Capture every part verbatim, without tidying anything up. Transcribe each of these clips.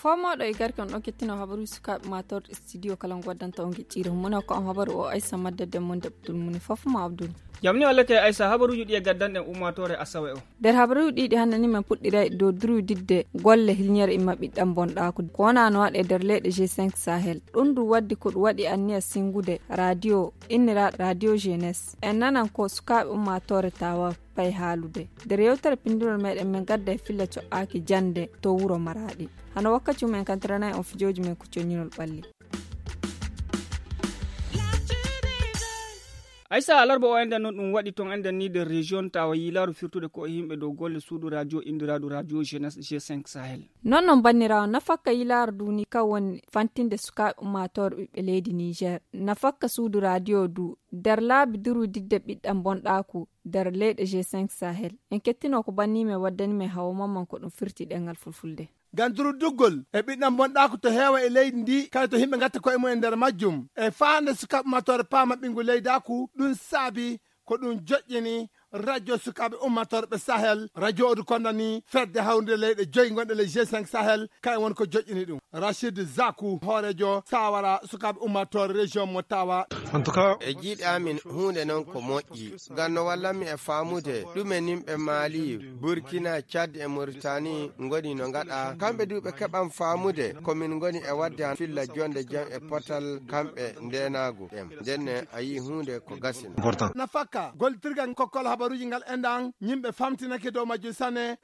Fomooɗo e garke on ɗon kettino habaruuji sukaaɓe matorɗe studio kala ngo waddanta on geƴƴiire mum. Mone ko on habaru o aysa maddadde mon deɓtul mum fof ma abdul. Jamni wallete aysa habaruuji ɗi e gaddanɗen ummaatoore asawe o. Nder habaruuji ɗiɗi hannde ni men puɗɗiray dow durwididde golle hilñere imma ɓiɗɗam bonɗaaku ko wonano waɗe nder leyɗe g cinq sahel. Ɗum ndu waddi ko ɗum waɗi anniya singude radio innira radio jeunesse en nanan ko sukaaɓe ummaatoore tawa pay haalude. Nder yewtere pinndunol meɗen men gadda e filla co'aaki jannde to wuro maraaɗi. Hano wakkati mum en kantiranay on fijooji men ko coññinol ɓalli. Aysa alarba o enden noon ɗum waɗi toon enden ni nder région tawa yiilaaru firtude ko e yimɓe dow golle suudu radio inndiraadu radio jeunesse g cinq sahel. Noon noon banniraawo nafakka yiilaaru du ni kan woni fantinde sukaaɓe ummaatoore ɓiɓɓe leydi niger. Nafakka suudu radio du nder laabi durwididde ɓiɗɗam bonɗaaku nder leyɗe g cinq sahel. En kettino ko banni men waddani men hawo mamman ko ɗum firti ɗengal fulfulde. Ngam durduggol e ɓiɗɗam bonɗaaku to heewa e leydi ndi kala to yimɓe ngatta koye mum e nder majjum e faande sukaaɓe ummaatoore paama ɓinngu leydaaku. Ɗum saabi ko ɗum joƴƴini radio sukaaɓe ummaatoore ɓe sahel radio odu kondani fedde hawrude leyɗe joyi gonɗe ley g cinq sahel. Kayen woni ko joƴƴini ɗum. Rachid Zaku hoorejo sawara sukaaɓe ummaatoore région mo tawa. En tout cas e jiiɗi amin huunde noon ko moƴƴi ngam no wallanmi e faamude ɗume nimɓe maali burkina tchad e mauritanie ngoni no ngaɗa kamɓe du ɓe keɓan faamude ko min ngoni e waɗde han filla jonde jam e potal kamɓe ndenaagu ɗem ndenne a yii huunde ko gasino. Nafakka gollitirgal kokkol habaruuji ngal enɗan yimɓe famtinake dow majjum sanne.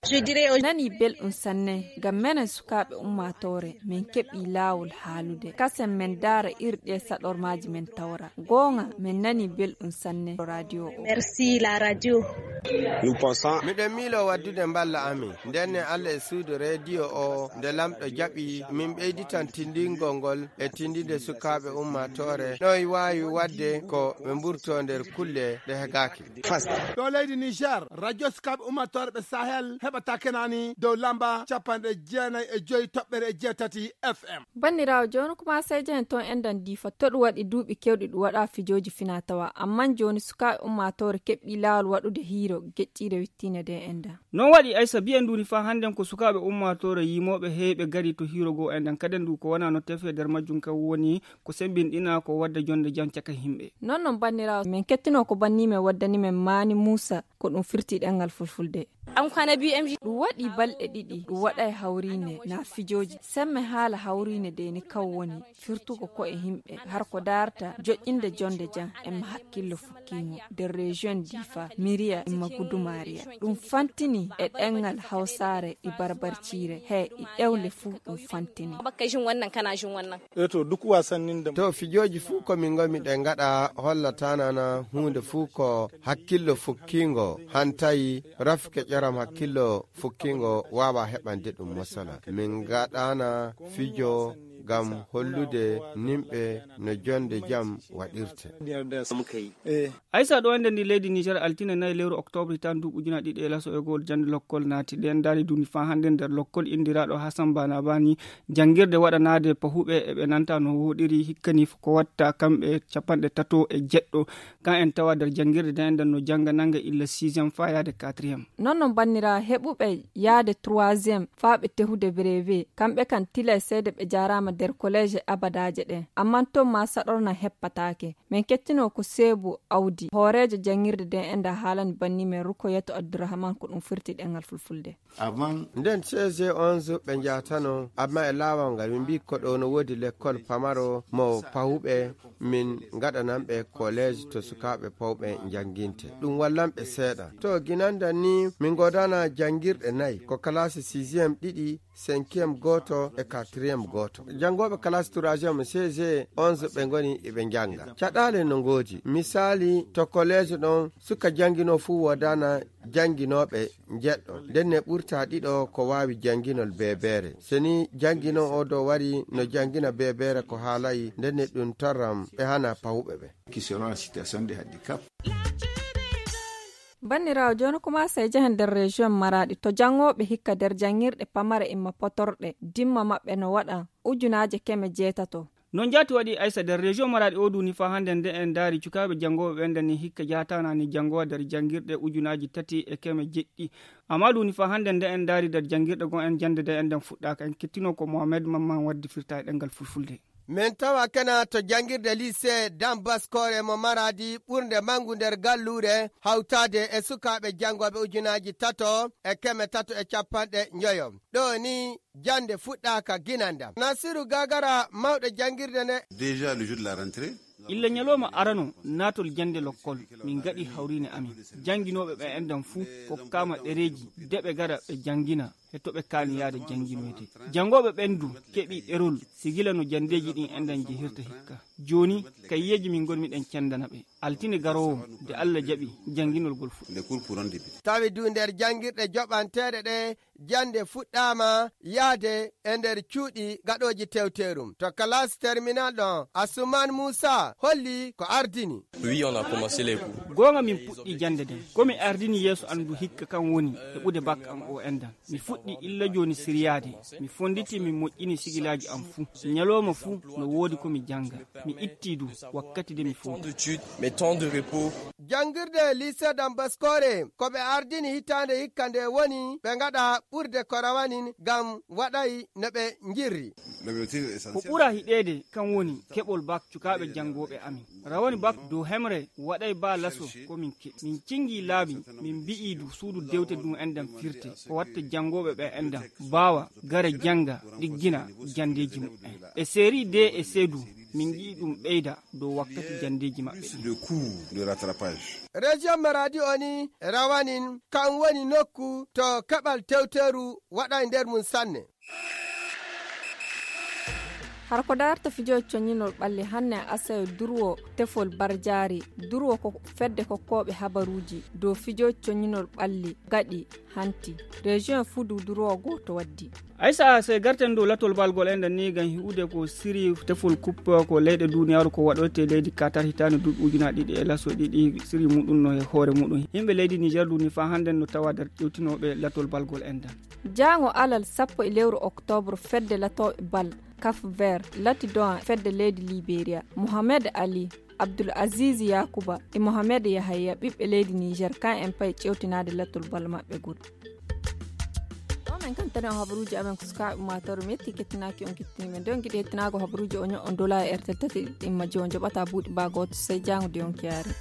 Nani belɗum sanne ngam menen sukaaɓe ummaatoore min keɓi laawol haalude kasen min ndaara iri ɗe saɗormaaji min tawra. Goonga min nani belɗum sanne radio o. Merci la radio. Miɗen miilo waddude mballa amin ndenne allah e suudu radio o nde lamɗo jaɓi min ɓeyditan tindingol ngol e tindinde sukaaɓe ummaatoore no e waawi waɗde ko ɓe mburto nder kulle ɗe hegaaki. Ɗo leydi niger radio sukaaɓe ummaatoore ɓe sahel heɓata kenani dow lamba capanɗe jeenayi e joyi toɓɓere e jeetati. Fm. Banniraawo jooni kuma seyde hen toon enɗan diifa to ɗum waɗi duuɓi kewɗi ɗum waɗa fijooji fina tawa amman jooni sukaaɓe ummaatoore keɓɓi laawol waɗude hiiro geƴƴiire wittiinde nde enɗan. Noon waɗi aysa biyen ndu ni faa hannden ko sukaaɓe ummaatoore yimooɓe heewɓe gari to hiiro goo enɗan kaden ndu ko wonaa no tefe nder majjum kam woni ko semmbinɗina ko wadda jonnde jam caka yimɓe. Noon noon banniraawo men kettinoo ko banni men waddani men maani muusa ko ɗum firti ɗemngal fulfulde. Ɗum waɗi balɗe ɗiɗi ɗum waɗay hawriine na fijooji semme haala hawriine de ni kaw woni firtugo ko'e yimɓe har ko daarta joƴƴinde jonnde jam e ma hakkillo fukkiingo nder région difa miriya e ma gudumariya. Ɗum fantini e ɗemngal hawsaare e barbarciire he e ɗewle fuu ɗum fantini. To fijooji fuu ko min ngomi ɗe ngaɗa hollatanana huunde fuu ko hakkillo fukkiingo hantayi rafke ƴoram hakkillo fukkiingo waawa heɓande ɗum mosala min ngaɗana fijo ngam hollude nimɓe no jonnde jam waɗirte. Aysa ɗo ende ndi leydi niger altine nayi lewru octobre hitan duuɓi ujuna ɗiɗi e laso e gowol jannde lokkol naati ɗen daali duni faa hannde nder lokkol inndiraaɗo hasan bana bani janngirde waɗanaade pahuɓe e ɓe nanta no wooɗiri hikkani ko watta kamɓe capanɗe tato e jeɗɗo kan en tawa nder janngirde nden nden no jannga nannga illa sixième faa yaade quatrième. Noon noon bannira heɓuɓe yaade troisième faa ɓe tehude brevet kamɓe kan tila e seede ɓe jaaraama nder kolleeje abadaaje ɗen amman toon ma saɗorna heppataake. Min kettinoo ko seebu awdi hooreejo janngirde nden enda haalani banni men rukoyatu abdurahman ko ɗum firti ɗemngal fulfulde. Nden cg onze ɓe njaatano amma e laawol ngal min mbii ko ɗo no woodi lekkol pamaro mo pawuɓe min ngaɗananɓe kolleeje to sukaaɓe pawɓe njannginte ɗum wallanɓe seeɗa to ginandan ni min ngoodana janngirɗe nayi ko kalaasi sixième ɗiɗi cinquième gooto e quatrième gooto janngooɓe kalaasi troisième cg onze ɓe ngoni eɓe njannga caɗaale no ngoodi misaali to kolleeje ɗon suka jannginoo fuu woodana jannginooɓe njeɗɗo ndenne ɓurta ɗiɗo ko waawi jannginol beebeere so ni jannginoo oo ɗo wari no janngina beebeere ko haalayi ndenne ɗum torram ɓe hana pawuɓe ɓe. Qui seront en situation de handicap. Banniraawo, jooni ko maa sey njahen nder région Maradi, to janngooɓe hikka nder janngirɗe pamare imma potorɗe, dimma maɓɓe no waɗa ujunaaje keme jeetato. Noon jaati waɗi, Aysa, nder région Maradi o duuni faa hannde nde en ndaari cukaaɓe janngooɓe ɓen nden ni hikka jahataana ni janngowa nder janngirɗe ujunaaji tati e keme jeɗɗi. Amma duuni faa hannde nde en ndaari nder janngirɗe goo en jannde nde en nden fuɗɗaaka, en kettinoo ko Mohamed Mamman waddi firta e ɗemngal fulfulde. Min tawa kena to janngirde lycée Dame Baskore mo Maradi ɓurnde manngu nder galluure hawtaade e sukaaɓe janngooɓe ujunaaji tato e keme tato e cappanɗe njoyo. Ɗo ni jannde fuɗɗaaka ginandam. Nasiru Gagara, mawɗo janngirde nde. Déjà le jour de la rentrée. Illa ñalooma arano naatol jannde lokkol, min ngaɗi hawriine amin. Jannginooɓe ɓe enɗan fuu kokkaama ɗereeji de ɓe ngara ɓe janngina e to ɓe kaani yahde jannginoyde. Janngooɓe ɓen du keɓii ɗerol, si gila no janndeeji ɗin enɗan jehirta hikka. Jooni, kayiyeeji min ngonmi ɗen cenndana ɓe. Altine garoowo, de Alla jaɓi, jannginol ngol fuɗɗii. Les cours pourront débuter. Tawi du nder janngirɗe joɓanteeɗe ɗe, jannde fuɗɗaama yahde e nder cuuɗi gaɗooji tewteerum. To classe terminale ɗon, Asuman Muusa holli ko ardini. Oui, on a commencé les cours. Goonga, min puɗɗii jannde nden. Ko mi ardini yeeso an du hikka kan woni heɓude bak an o enɗan. Mi fuɗɗii illa jooni siryaade. Mi fonnditii, min moƴƴini sigilaaji am fuu. Ñalooma fuu no woodi ko mi jannga. Mi ittii du wakkati de mi fowta. Mes temps de repos. Janngirde lycée Dame Baskore, ko ɓe ardini hitaande hikka nde woni ɓe ngaɗa ɓurde ko rawanin ngam waɗay no ɓe njirri. Ko ɓura hiɗeede kan woni keɓol bak cukaaɓe janngooɓe amin. Rawani bak dow hemre waɗay baa laso ko min keɓi. Min cinngii laabi, min mbi'ii du suudu dewte du enɗan firte, ko watta janngooɓe ɓe enɗan mbaawa gara jannga, ɗiggina janndeeji muɓɓen. E série D e C du, min ngi'i ɗum ɓeyda dow wakkati janndeeji maɓɓe ɗin. Région Maradi o ni rawanin, kan woni nokku to keɓal tewteeru waɗay nder mum sanne. Har ko darta fijooji coññinol ɓalli hannde e Asawe durwo tefol barjaari. Durwo ko fedde kokkooɓe habaruuji dow fijooji coññinol ɓalli gaɗi hanti. Région fuu du durwo gooto waddi. Aysa, sey garten dow latol balgol enɗan ni ngam hi'ude ko siri tefol kuppe ko leyɗe duniyaaru ko waɗoyte leydi Katar hitaande duuɓi ujunaaji ɗiɗi e laso ɗiɗi siri muɗum no e hoore muɗum. Yimɓe leydi Niger duni faa hannde no tawa nder ƴewtinooɓe latol balgol enɗan. Jaango alal sappo e lewru oktoobre fedde latooɓe bal Cap Vert lati do'a fedde leydi Liberia. Mohamed Ali, Abdul Aziz Yakuba e Mohamed Yahaya ɓiɓɓe leydi Niger kan en pay ƴewtinaade latol bal maɓɓe ngol. Ɗo men kan tani o habaruuji amen ko sukaaɓe maataru metti kettinaaki on kettini men. De on giɗi hettinaago habaruuji o ño'on dola e R T L tati ɗimma jo on joɓata buuɗi baa gooto sey jaango de on kiyaare.